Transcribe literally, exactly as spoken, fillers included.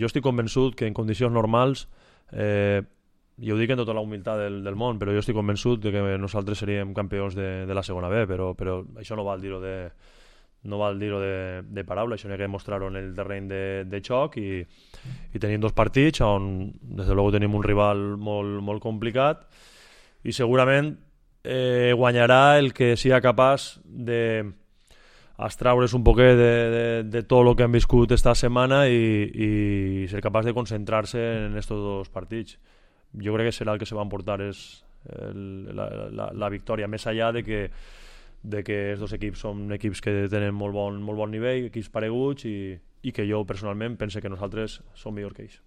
jo estic convençut que en condicions normals, eh, i ho dic amb tota la humilitat del, del món, però jo estic convençut de que nosaltres seríem campions de, de la segona B, però, però això no val dir-ho de, no val dir-ho de, de paraula, això n'hi ha que mostrar-ho en el terreny de, de xoc i, i tenim dos partits on des de luego tenim un rival molt, molt complicat i segurament eh, guanyarà el que sigui capaç de extraure's un poquet de, de, de tot el que han viscut esta setmana i, i ser capaç de concentrar-se en estos dos partits. Jo crec que serà el que se va emportar és el, la, la, la victòria, més allà de que de que els dos equips són equips que tenen molt bon, molt bon nivell, equips pareguts i, i que jo personalment pense que nosaltres som millor que ells.